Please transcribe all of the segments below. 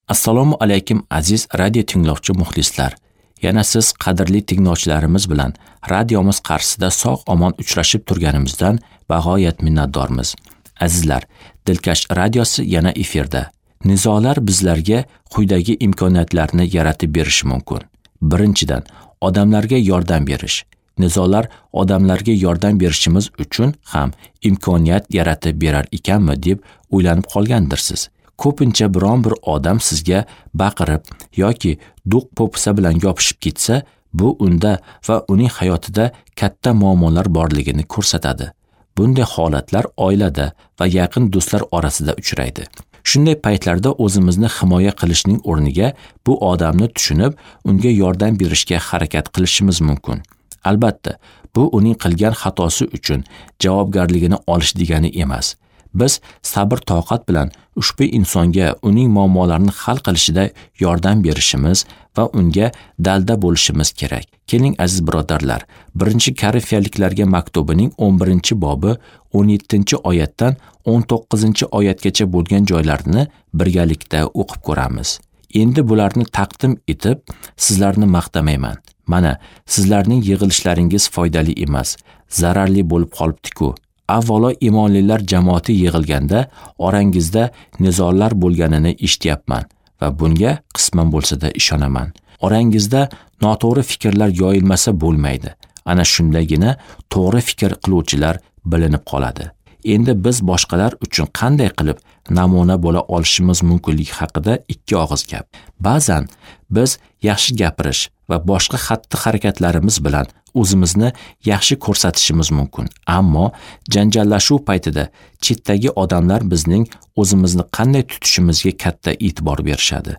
Assalomu alaykum aziz radio tinglovchi muxlislar. Yana siz qadrli tinglovchilarimiz bilan radiomiz qarshisida sog' omon uchrashib turganimizdan bag'oyat minnatdormiz. Azizlar, Dilkash radiosi yana efirda. Nizolar bizlarga quyidagi imkoniyatlarni yaratib berishi mumkin. Birinchidan, odamlarga yordam berish. Nizolar odamlarga yordam berishimiz uchun ham imkoniyat yaratib berar ekanmi deb o'ylanib qolgandirsiz. Ko'pincha biron bir odam sizga baqirib yoki do'q po'pisa bilan yopishib ketsa, bu unda va uning hayotida katta muammolar borligini ko'rsatadi. Bunday holatlar oilada va yaqin do'stlar orasida uchraydi. Shunday paytlarda o'zimizni himoya qilishning o'rniga bu odamni tushunib, unga yordam berishga harakat qilishimiz mumkin. Albatta, bu uning qilgan xatosi uchun javobgarligini olish degani emas. Biz sabr toqat bilan ushbu insonga uning muammolarini hal qilishida yordam berishimiz va unga dalda bo'lishimiz kerak. Keling aziz birodarlar, 1-Korinfiyaliklarga maktubining 11-bobi 17-oyatdan 19-oyatgacha bo'lgan joylarni birgalikda o'qib ko'ramiz. Endi bularni taqdim etib, sizlarni maqtamayman. Mana, sizlarning yig'ilishlaringiz foydali emas, zararli bo'lib qolibdi-ku. Avvalo imonlilar jamoati yig'ilganda orangizda nizolar bo'lganini eshityapman va bunga qisman bo'lsa-da ishonaman. Orangizda noto'g'ri fikrlar yoyilmasa bo'lmaydi. Ana shundagina to'g'ri fikr qiluvchilar bilinib qoladi. Endi biz boshqalar uchun qanday qilib namuna bo'la olishimiz mumkinligi haqida ikki og'iz gap. Ba'zan biz yaxshi gapirish va boshqa xatti-harakatlarimiz bilan o'zimizni yaxshi ko'rsatishimiz mumkin. Ammo janjallashuv paytida chetdagi odamlar bizning o'zimizni qanday tutishimizga katta e'tibor berishadi.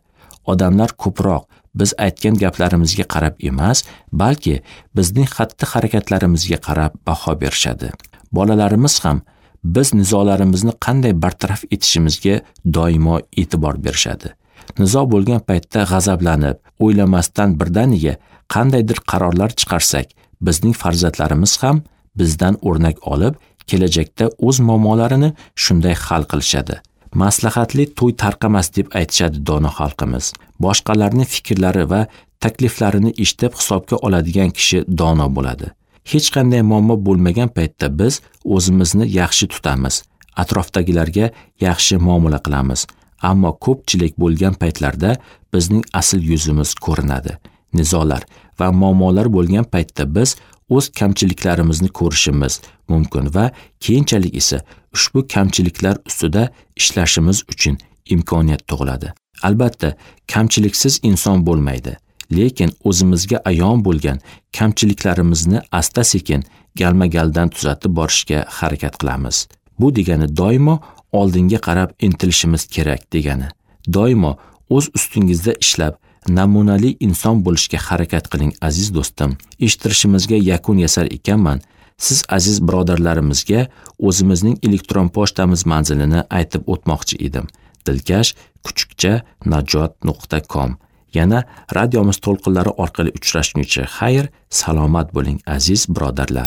Odamlar ko'proq biz aytgan gaplarimizga qarab emas, balki bizning xatti-harakatlarimizga qarab baho berishadi. Bolalarimiz ham biz nizolarimizni qanday bartaraf etishimizga doimo e'tibor berishadi. Nizo bo'lgan paytda g'azablanib, o'ylamasdan birdaniga qandaydir qarorlar chiqarsak, bizning farzandlarimiz ham bizdan o'rnak olib, kelajakda o'z muammolarini shunday hal qilishadi. Maslahatli to'y tarqamas deb aytishadi dono xalqimiz. Boshqalarning fikrlari va takliflarini eshitib hisobga oladigan kishi dono bo'ladi. Hech qanday muammo bo'lmagan paytda biz o'zimizni yaxshi tutamiz, atrofdagilarga yaxshi muomala qilamiz. Ammo ko'pchilik bo'lgan paytlarda bizning asl yuzimiz ko'rinadi. Nizolar va muammolar bo'lgan paytda biz o'z kamchiliklarimizni ko'rishimiz mumkin va keyinchalik esa ushbu kamchiliklar ustida ishlashimiz uchun imkoniyat tug'iladi. Albatta, kamchiliksiz inson bo'lmaydi. Lekin o'zimizga ayon bo'lgan kamchiliklarimizni asta-sekin galma-galdan tuzatib borishga harakat qilamiz. Bu degani doimo oldinga qarab intilishimiz kerak degani. Doimo o'z ustingizda ishlab, namunali inson bo'lishga harakat qiling aziz do'stim. Eshittirishimizga yakun yasar ekanman, siz aziz birodarlarimizga o'zimizning elektron pochtamiz manzilini aytib o'tmoqchi edim. dilkash@najot.com. Yana radiomiz to'lqinlari orqali uchrashguncha xayr, salomat bo'ling aziz birodarlar.